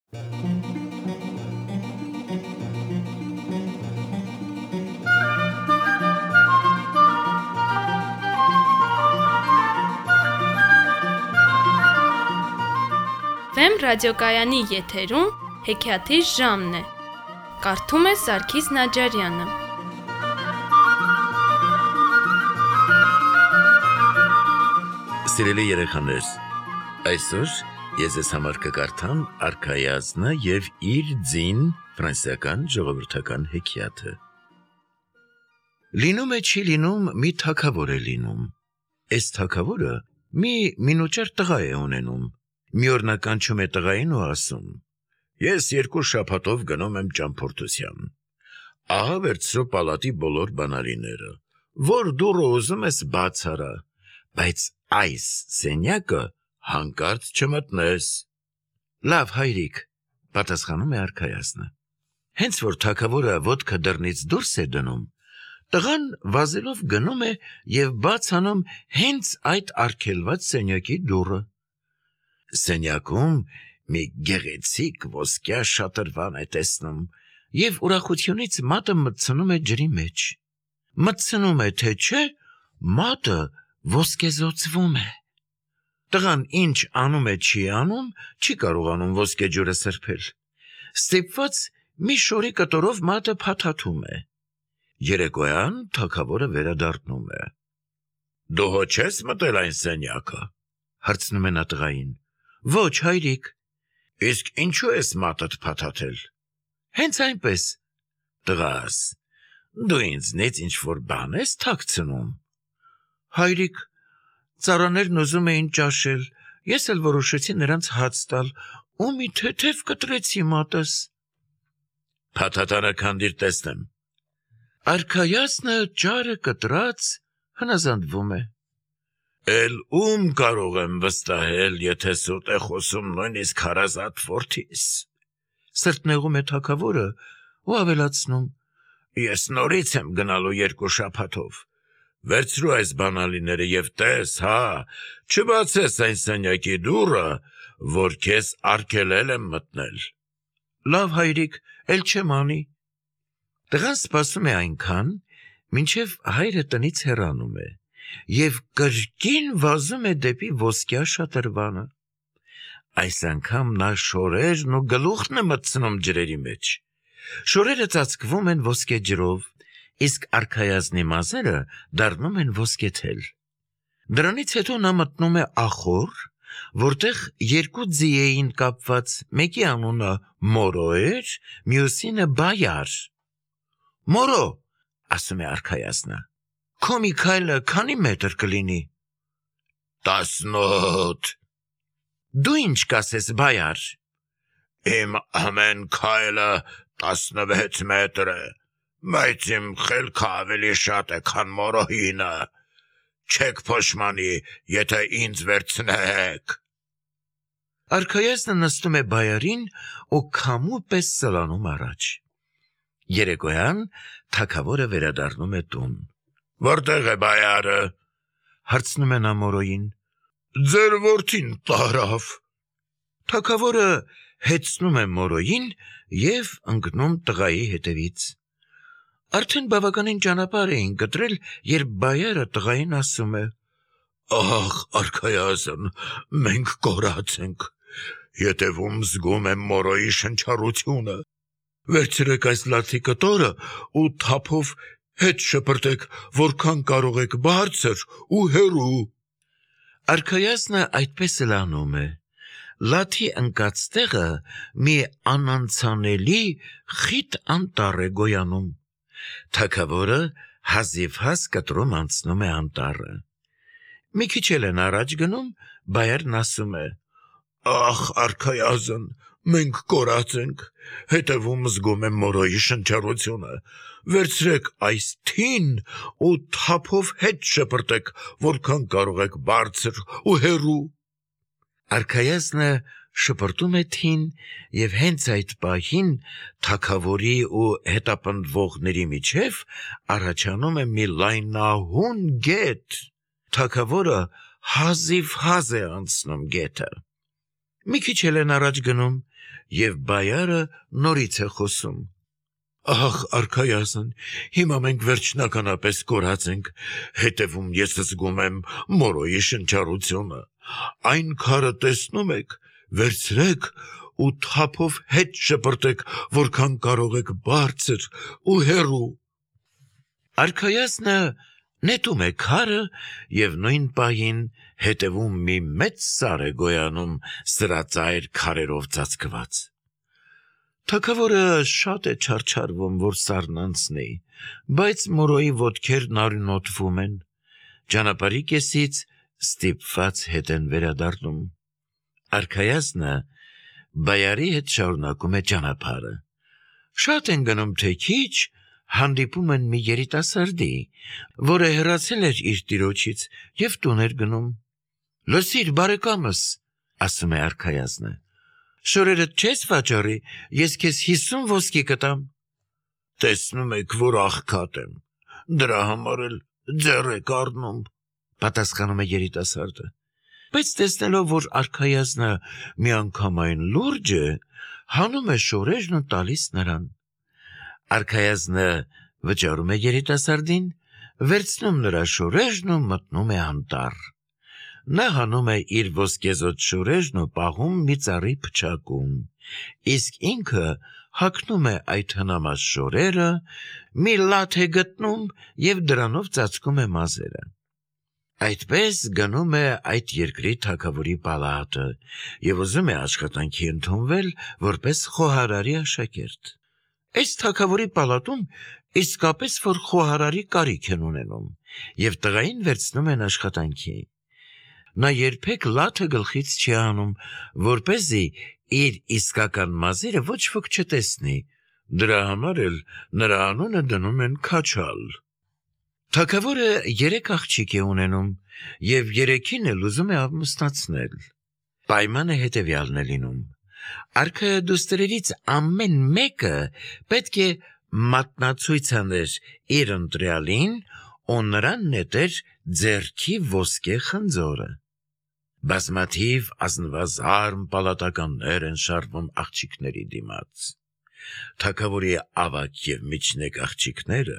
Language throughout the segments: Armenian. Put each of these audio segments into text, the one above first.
Վեմ ռադիոկայանի եթերում հեքիաթի ժամն է։ Կարդում է Սարգիս Նաջարյանը։ Սիրելի երեխաներ, այսօր ես ես համար կկարդամ Արքայազնը և իր ձին ֆրանսիական ժողովրդական հեքիաթը։ Լինում է չի լինում, մի թագավոր է լինում։ Այս թագավորը մի մինուճար տղա է ունենում։ Մի օր նա կանչում է տղային ու ասում. «Ես 2 շաբաթով գնում եմ ճամփորդության։ Ահա վերցրու պալատի բոլոր բանալիները, որ դուռը ուզում ես բաց արա, բայց այս սենյակը հանկարծ չմտնես»։ «Լավ, հայրիկ», պատասխանում է Արքայազնը։ Հենց որ թագավորը ոտքը դռնից դուրս է դնում, տղան վազելով գնում է և բաց անում հենց այդ արգելված սենյակի դուռը։ Սենյակում մի գեղեցիկ ոսկյա շատրվան է տեսնում և ուրախությունից մատը մտցնում է ջրի մեջ։ Մտցնում է, թե չէ, մատը ոսկեզօծվում է։ Տղան ինչ անում է չի անում, չի կարողանում ոսկեջուրը սրբել։ Ստիպված մի շորի կտորով մատը փաթաթում է։ Երեկոյան թագավորը վերադառնում է։ «Դու հո չես մտել այն սենյակը», հարցնում է նա տղային։ «Ոչ, հայրիկ»։ «Իսկ ինչու ես մատդ փաթաթել»։ «Հենց այնպես»։ «Տղաս, դու ինձնից ինչ-որ բան ես թաքցնում»։ «Հայրիկ, ծառաներն ուզում էին ճաշել, ես էլ որոշեցի նրանց հաց տալ, ու մի թեթև կտրեցի մատս»։ «Փաթաթանը քանդիր տեսնեմ»։ Արքայազնը ճարը կտրած հնազանդվում է։ «Էլ ում կարող եմ վստահել, եթե սուտ է խոսում նույնիսկ հարազատ որդիս»։ Սրտնեղում է թագավորը ու ավելացնում. «Ես նորից եմ գնալու 2 շաբաթով։ Վերցրու այս բանալիները և տես, հա, չբացես այն սենյակի դուռը, որ քեզ արգելել եմ մտնել»։ «Լավ, հայրիկ, էլ չեմ անի»։ Տղան սպասում է այնքան, մինչև հայրը տնից հեռանում է և կրկին վազում է դեպի ոսկյա շատրվանը։ Այս անգամ նա շորերն ու գլուխն է մտցնում ջրերի մեջ։ Շորերը ծածկվում են ոսկեջրով, իսկ արքայազնի մազերը դառնում են ոսկեթել։ Դրանից հետո նա մտնում է ախոռ, որտեղ 2 ձի էին կապված, մեկի անունը Մորո էր, մյուսինը Բայար։ «Մորո», ասում է արքայազնը, «քո մի քայլը քանի մետր կլինի»։ 18։ «Դու ինչ կասես, Բայար»։ «Իմ ամեն քայլը 16 մետր է, բայց իմ խելքը ավելի շատ է, քան Մորոյինը։ Չեք փոշմանի, եթե ինձ վերցնեք»։ Արքայազնը նստում է Բայարին ու քամու պես սլանում առաջ։ Երեկոյան թագավորը վերադառնում է տուն։ «Որտեղ է Բայարը»։ Հարցնում է նա Մորոյին։ «Ձեր որդին տարավ»։ Թագավորը հեծնում է Մորոյին և ընկնում տղայի հետևից։ Արդեն բավականին ճանապարհ էին կտրել, երբ Բայարը տղային ասում է. «Ախ, արքայազն, մենք կորած ենք։ Ետևում զգում եմ Մորոյի շնչառությունը։ Վերցրեք այս լացի կտորը ու թափով հետ շպրտեք, որքան կարող եք բարձր ու հեռու»։ Արքայազնը այդպես էլ անում է։ Լաթի ընկած տեղը մի անանցանելի խիտ անտառ է գոյանում։ Թագավորը հազիվհազ կտրում անցնում է անտառը։ Մի քիչ էլ են առաջ գնում, Բայարն ասում է. «Ախ, արքայազն, մենք կորած ենք, հետևում զգում եմ Մորոյի շնչառությունը։ Վերցրեք այս թին ու թափով հետ շպրտեք, որքան կարող եք բարձր ու հեռու»։ Արքայազնը շպրտում է թին, և հենց այդ պահին թագավորի ու հետապնդվողների միջև առաջանում է մի լայնահուն գետ։ Թագավորը հազիվհազ է անցնում գետը։ մի քիչ էլ են առաջ գնում, և բայարը նորից է խոսում. «Ահ, արքայազն, հիմա մենք վերջնականապես կորած ենք, հետևում ես զգում եմ մորոյի շնչառությունը, այն քարը տեսնում եք, վերցրեք ու թափով հետ շպրտեք, որքան կարող եք բարձր ու հեռու»։ Արքայազնը նետում է քարը և նույն պահին հետևում մի մեծ սար է գոյանում սրածայր քարերով ծածկված։ Թագավորը շատ է չարչարվում, որ սարն անցնի, բայց մորոյի ոտքերն արյունոտվում են, ճանապարհի կեսից ստիպված հետ են վերադառնում։ Արքայազնը բայարի հետ շարունակում է ճանապարհը։ Շատ են գնում, թե քիչ, հանդիպում են մի երիտասարդի, որը հեռացել էր իր տիրոջից և տուն էր գնում։ «Լսիր, բարեկամս», ասում է արքայազնը, «շորերդ չես վաճառի, ես քեզ 50 ոսկի կտամ»։ «Տեսնում եք, որ աղքատ եմ, դրա համար էլ ձեռ եք առնում», պատասխանում է երիտասարդը, բայց տեսնելով, որ արքայազնը միանգամայն լուրջ է, հանում է շորերն ու տալիս նրան։ Արքայազնը վճարում է երիտասարդին, վերցնում նրա շորերն ու մտնում է անտառ։ Նա հանում է իր ոսկեզօծ շորերն ու պահում մի ծառի փչակում, իսկ ինքը հագնում է այդ հնամած շորերը, մի լաթ է գտնում և դրանով ծածկում է մազերը։ Այդպես գնում է այդ երկրի թագավորի պալատը և ուզում է աշխատանքի ընդունվել որպես խոհարարի աշակերտ։ Այս թագավորի պալատում իսկապես որ խոհարարի կարիք են ունենում, և տղային վերցնում են աշխատանքի։ Նա երբեք լաթը գլխից չի հանում, որպեսզի իր իսկական մազերը ոչ ոք չտեսնի, դրա համար էլ նրա անունը դնում են Քաչալ։ Թագավորը 3 աղջիկ է ունենում և 3-ին էլ ուզում է ամուսնացնել։ Պայմանը հետևյալն է լինում. արքայադուստրերից ամեն մեկը պետք է մատնացույց աներ իր ընտրյալին ու նրան նետեր ձեռքի ոսկե խնձորը։ Բազմաթիվ ազնվազարմ պալատականներ են շարվում աղջիկների դիմաց։ Թագավորի ավագ և միջնեկ աղջիկները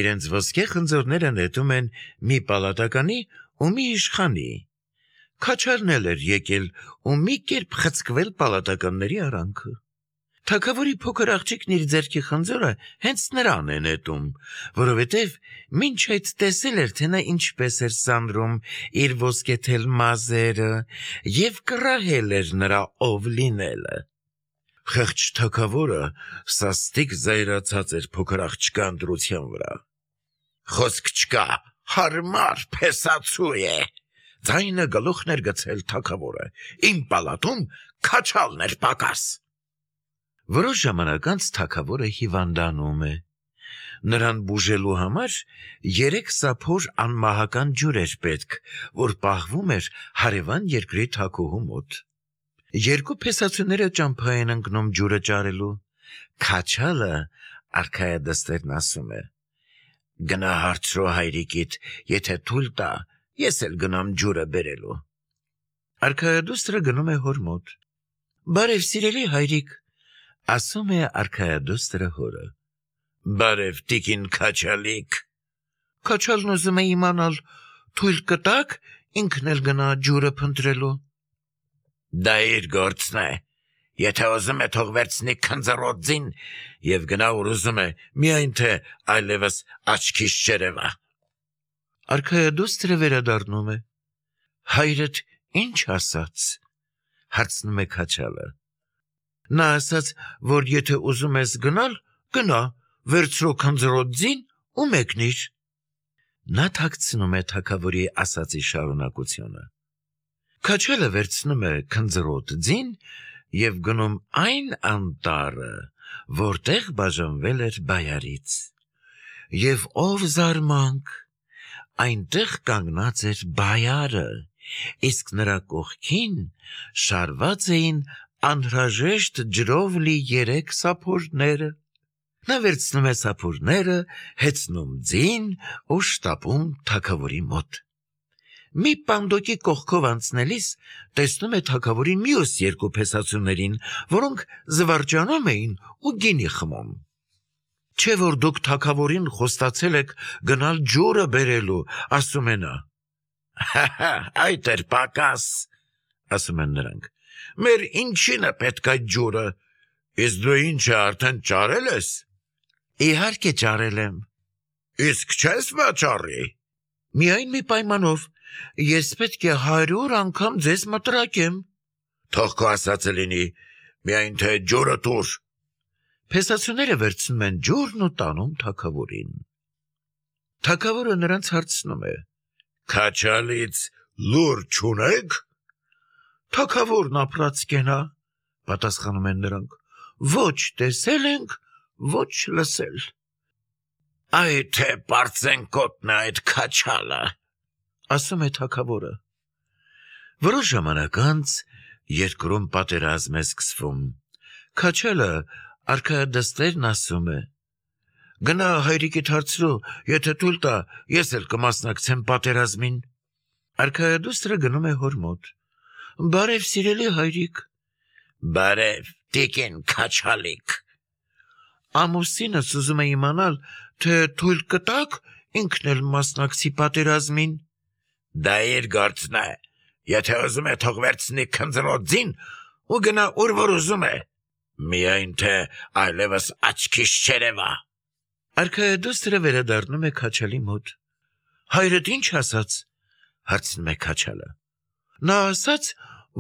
իրենց ոսկե խնձորները նետում են մի պալատականի ու մի իշխանի։ Քաչալն էլ էր եկել ու մի կերպ խցկվել պալատականների արանքը։ Թագավորի փոքր աղջիկն իր ձեռքի խնձորը հենց նրան է նետում, որովհետև մինչ այդ տեսել էր, թե նա ինչպես էր սանրում իր ոսկեթել մազերը և կռահել էր նրա ով լինելը։ Խեղճ թագավորը սաստիկ զայրացած էր փոքր աղջկա ընտրության վրա։ «Խոսք չկա, հարմար փեսացու է», ձայնը գլուխն էր գցել թագավորը, «իմ պալատում Քաչալն էր պակաս»։ Որոշ ժամանակ անց թագավորը հիվանդանում է։ Նրան բուժելու համար 3 սափոր անմահական ջուր էր պետք, որ պահվում էր հարևան երկրի թագուհու մոտ։ 2 փեսացուները ճամփա են ընկնում ջուրը ճարելու։ Քաչալը արքայադստերն ասում է. «Գնա հարցրու հայրիկիդ, եթե թույլ տա, ես էլ գնամ ջուրը բերելու»։ Արքայադուստրը գնում է հոր մոտ։ «Բարև, սիրելի հայրիկ», ասում է արքայադուստրը հորը։ «Բարև, տիկին Քաչալիկ»։ Քաչալն ուզում է իմանալ, թույլ կտա՞ք ինքն էլ գնա ջուրը փնտրելու։ «Դա իր գործն է, եթե ուզում է թող վերցնի քնձռոտ ձին և գնա ուր ուզում է, միայն թե այլևս աչքիս չերևա»։ Արքայադուստրը վերադառնում է։ «Հայրդ ինչ ասաց»։ Հարցնում է Քաչալը։ «Նա ասաց, որ եթե ուզում ես գնալ, գնա, վերցրու քնձռոտ ձին ու մեկնիր»։ Նա թաքցնում է թագավորի ասածի շարունակությունը։ Քաչալը վերցնում է քնձռոտ ձին և գնում այն անտառը, որտեղ բաժանվել էր բայարից։ Եվ ով զարմանք, այնտեղ կանգնած էր բայարը, իսկ նրա կողքին շարված էին անհրաժեշտ ջրով լի 3 սափորները։ Նա վերցնում է սափորները, հեծնում ձին ու շտապում թագավորի մոտ։ մի պանդոկի կողքով անցնելիս տեսնում է թագավորի մյուս երկու փեսացուներին, որոնք զվարճանում էին ու գինի խմում։ Չէ որ դուք թագավորին խոստացել եք գնալ ջուրը բերելու, ասում է նա։ Հա, այդ էր պակաս, ասում են նրանք։ Մեր ինչին է պետք այդ ջուրը, իսկ դու ինչը արդեն ճարել ես։ Իհարկե ճարել եմ։ Իսկ չես վաճառի։ Միայն մի պայմանով, ես պետք է 100 անգամ ձեզ մտրակեմ։ Թող քո ասածը լինի, միայն թե ջուրը տուր։ Փեսացուները վերցնում են ջուրն ու տանում թագավորին։ Թագավորը նրանց հարցնում է. Քաչալից լուր չունեք։ Թագավորն ապրած կենա, պատասխանում են նրանք, ոչ տեսել ենք, ոչ լսել։ Այ թե պարծենկոտն է այդ քաչալը, ասում է թագավորը։ Որոշ ժամանակ անց երկրում պատերազմ է սկսվում։ Քաչալը արքայադստերն ասում է. Գնա հայրիկիդ հարցրու, եթե թույլ տա, ես էլ կմասնակցեմ պատերազմին։ Արքայադուստրը գնում է հոր մոտ։ Բարև սիրելի հայրիկ։ Բարև, տիկին քաչալիկ։ Ամուսինս ուզում է իմանալ, թե թույլ կտաք ինքն էլ մասնակցի պատերազմին։ Դա իր գործն է, եթե ուզում է թող վերցնի քնձրոտ ձին ու գնա ուր որ ուզում է, միայն թե այլևս աչքիս չերևա։ Արքայադուստրը վերադառնում է քաչալի մոտ։ Հայրդ ինչ ասաց, հարցնում է քաչալը։ Նա ասաց,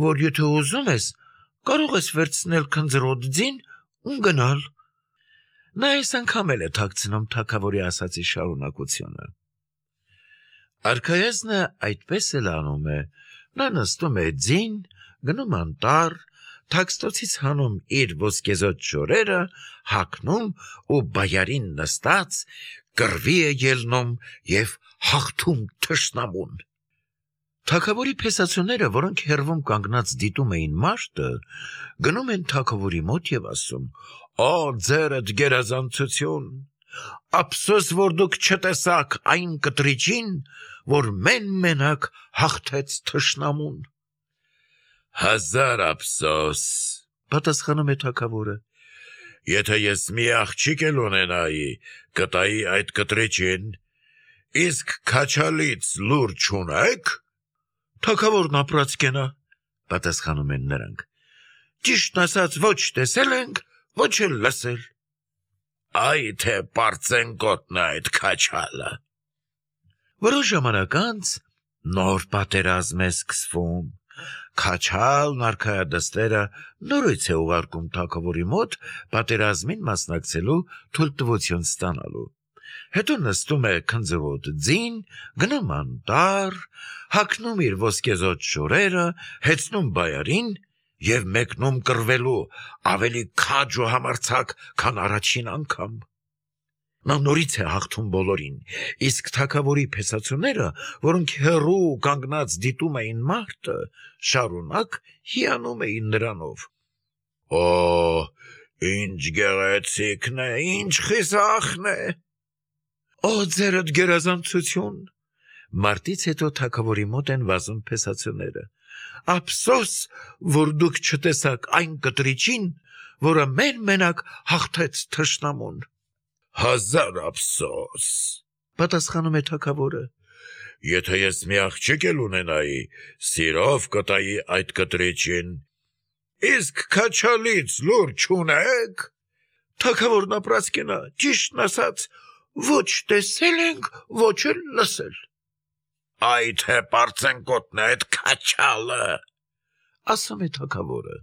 որ եթե ուզում ես, կարող ես վերցնել քնձրոտ ձին ու գնալ։ Նա այս անգամ էլ է թաքցնում թագավորի ասածի շարունակությունը։ Արքայազնը այդպես էլ անում է։ Նա նստում է ձին, գնում անտառ, թաքստոցից հանում իր ոսկեզօծ շորերը, հագնում ու բայարին նստած կռվի է ելնում և հաղթում թշնամուն։ Թագավորի փեսացուները, որոնք հեռվում կանգնած դիտում էին մարտը, գնում են թագավորի մոտ և ասում. Օ, ձերդ գերազանցություն, ափսոս, որ դուք չտեսաք այն կտրիչին, որ մենակ հաղթեց թշնամուն։ Հազար ափսոս, պատասխանում է թագավորը։ Եթե ես մի աղջիկ էլ ունենայի, կտայի այդ կտրիչին, իսկ քաչալից լուր չունեք։ Թագավորն ապրած կենա, պատասխանում են նրանք։ Ճիշտն ասած ոչ տեսել ենք, ոչ էլ լսել։ Այ թե պարծենկոտն է այդ քաչալը։ Որոշ ժամանակ անց նոր պատերազմ է սկսվում։ Քաչալն արքայադստերը նորից է ուղարկում թագավորի մոտ պատերազմին մասնակցելու թույլտվություն ստանալու։ Հետո նստում է քնձրոտ ձին, գնում անտառ, հագնում իր ոսկեզօծ շորերը, հեծնում բայարին և մեկնում կռվելու ավելի քաջ ու համարձակ, քան առաջին անգամ։ Նա նորից է հաղթում բոլորին, իսկ թագավորի փեսացուները, որոնք հեռու կանգնած դիտում էին մարտը, շարունակ հիանում էին նրանով։ Օ, ինչ գեղեցիկն է, ինչ խիզախն է։ Օ, ձերդ գերազանցություն։ Մարտից հետո թագավորի մոտ են վազում փեսացուները։ Ափսոս, որ դուք չտեսաք այն կտրիչին, որը մենակ հաղթեց թշնամուն։ Հազար ափսոս, պատասխանում է թագավորը։ Եթե ես մի աղջիկ էլ ունենայի, սիրով կտայի այդ կտրիչին, իսկ քաչալից լուր չունեք։ Թագավորն ապրած կենա, ճիշտն ասած, ոչ տեսել ենք, ոչ էլ լսել։ Այ թե պարծենկոտն է այդ քաչալը, ասում է թագավորը։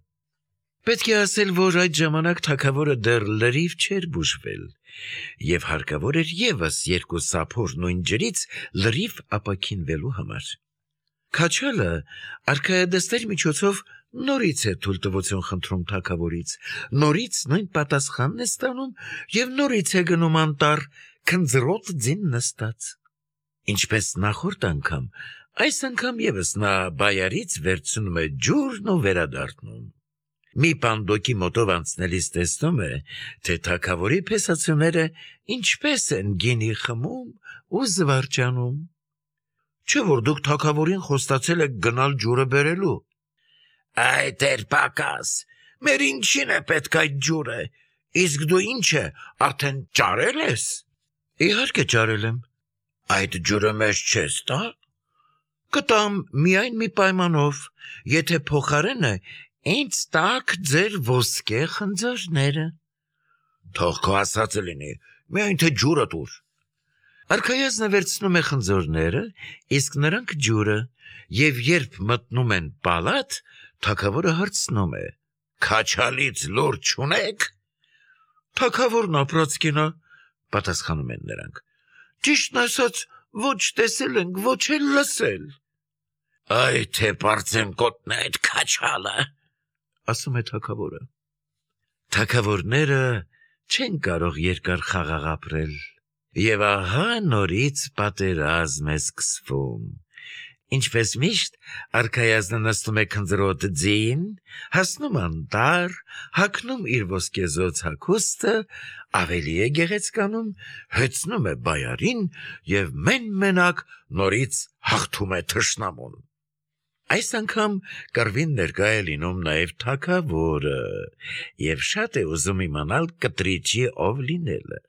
Պետք է ասել, որ այդ ժամանակ թագավորը դեռ լրիվ չէր բուժվել, և հարկավոր էր ևս 2 սափոր նույն ջրից լրիվ ապաքինվելու համար։ Քաչալը արքայադստեր միջոցով նորից է թույլտվություն խնդրում թագավորից, նորից նույն պատասխանն է ստանում և նորից է գնում անտառ, քնձրոտ ձին նստած։ Ինչպես նախորդ անգամ, այս անգամ ևս նա բայարից վերցնում է ջուրն ու վերադառնում։ Մի պանդոկի մոտով անցնելիս տեսնում է, թե թագավորի փեսացուները ինչպես են գինի խմում ու զվարճանում։ Չէ՞ որ դուք թագավորին խոստացել եք գնալ ջուրը բերելու։ Այ դեր պակաս, մեր ինչին է պետք այդ ջուրը, իսկ դու ինչ է, արդեն ճարել ես։ Իհարկե ճարել եմ։ Այդ ջուրը մեզ չես տա։ Կտամ միայն մի պայմանով, եթե փոխարենը ինձ տաք ձեր ոսկե խնձորները։ Թող քո ասածը լինի, միայն թե ջուրը տուր։ Արքայազնը վերցնում է խնձորները, իսկ նրանք ջուրը, եւ երբ մտնում են պալատ, թագավորը հարցնում է. Քաչալից լուր չունեք։ Թագավորն ապրած կինա, պատասխանում են նրանք։ Ճիշտն ասած, ոչ տեսել ենք, ոչ էլ լսել։ Այ թե բարձեն կոտնե այդ քաչալը, ասում է թագավորը։ Թագավորները չեն կարող երկար խաղաղ ապրել, եւ ահա նորից պատերազմ է սկսվում։ Ինչպես միշտ, արքայազնը նստում է քնձրոտ ձին, հասնում անտառ, հագնում իր ոսկեզօծ հագուստը, ավելի է գեղեցկանում, հեծնում է բայարին եւ մեն-մենակ նորից հաղթում է թշնամուն։ Այս անգամ կռվին ներկա է լինում նաեւ թագավորը եւ շատ է ուզում իմանալ կտրիճի ով լինելը։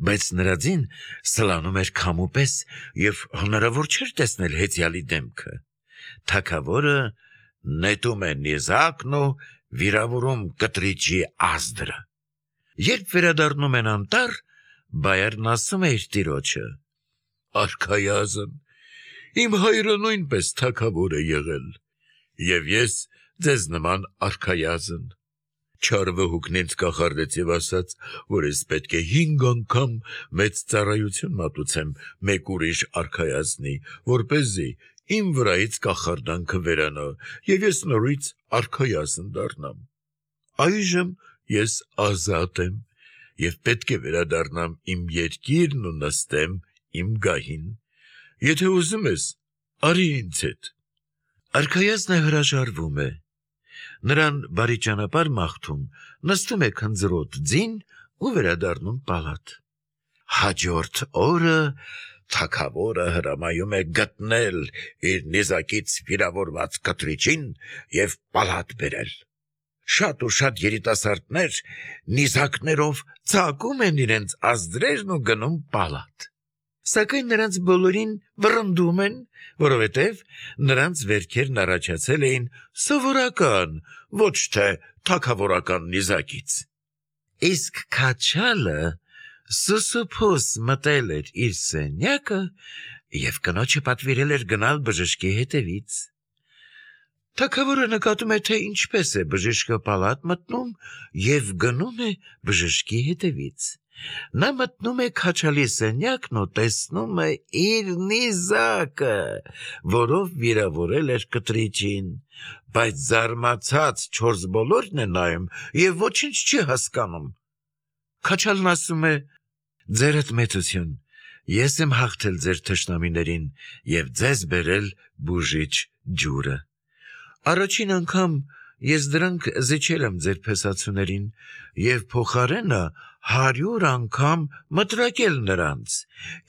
Բայց նրա ձին սլանում էր քամու պես եւ հնարավոր չէր տեսնել հեծյալի դեմքը։ Թագավորը նետում է նիզակն ու վիրավորում կտրիճի ազդրը։ Երբ վերադառնում են անտառ, բայարն ասում է իր տիրոջը. Արքայազն, իմ հայրը նույնպես թագավոր է եղել, եւ ես ձեզ նման արքայազն։ Չար վհուկն ինձ կախարդեց եւ ասաց, որ ես պետք է 5 անգամ մեծ ծառայություն մատուցեմ մեկ ուրիշ արքայազնի, որպեսզի իմ վրայից կախարդանքը վերանա եւ ես նորից արքայազն դառնամ։ Այժմ ես ազատ եմ եւ պետք է վերադառնամ իմ երկիրն ու նստեմ իմ գահին։ Եթե ուզում ես, արի ինձ հետ։ Արքայազնը հրաժարվում է։ Նրան բարի ճանապարհ մաղթում, նստում է քնձրոտ ձին ու վերադառնում պալատ։ Հաջորդ օրը թագավորը հրամայում է գտնել իր նիզակից վիրավորված կտրիճին եւ պալատ բերել։ Շատ ու շատ երիտասարդներ նիզակներով ծակում են իրենց ազդրերն ու գնում պալատ։ Սակայն նրանց բոլորին վռնդում են, որովհետև նրանց վերքերն առաջացել էին սովորական, ոչ թե թագավորական նիզակից։ Իսկ քաչալը սուսուփուս մտել էր իր սենյակը եւ կնոջը պատվիրել էր գնալ բժշկի հետևից։ Թագավորը նկատում է, թե ինչպես է բժիշկը պալատ մտնում եւ գնում է բժշկի հետևից։ Նա մտնում է քաչալի սենյակն ու տեսնում է իր նիզակը, որով վիրավորել էր կտրիճին, բայց զարմացած չորս բոլորն են նայում եւ ոչինչ չի հասկանում։ Քաչալն ասում է. Ձերդ մեծություն, ես եմ հաղթել ձեր թշնամիներին եւ ձեզ բերել բուժիչ ջուրը։ Առաջին անգամ ես դրանք զիջել եմ ձեր փեսացուներին եւ փոխարենը 100 անգամ մտրակել նրանց,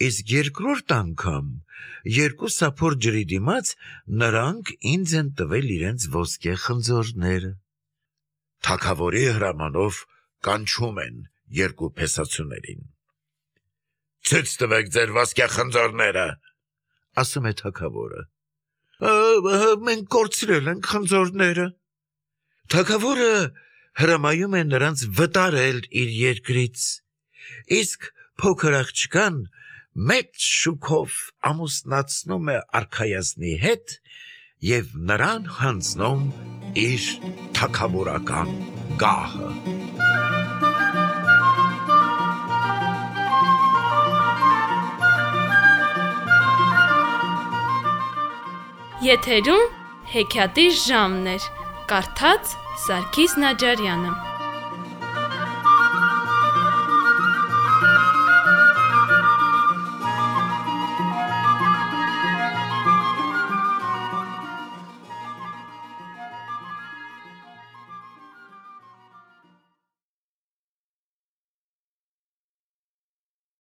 իսկ երկրորդ անգամ 2 սափոր ջրի դիմաց նրանք ինձ են տվել իրենց ոսկե խնձորները։ Թագավորի հրամանով կանչում են 2 փեսացուներին։ Ցույց տվեք ձեր ոսկե խնձորները, ասում է թագավորը։ Մենք կորցրել ենք խնձորները։ Թագավորը հրամայում է նրանց վտարել իր երկրից, իսկ փոքր աղջկան մեծ շուքով ամուսնացնում է արքայազնի հետ եւ նրան հանձնում իր թագավորական գահը։ Եթերում հեքիաթի ժամն էր, կարդաց Սարգիս Նաջարյանը։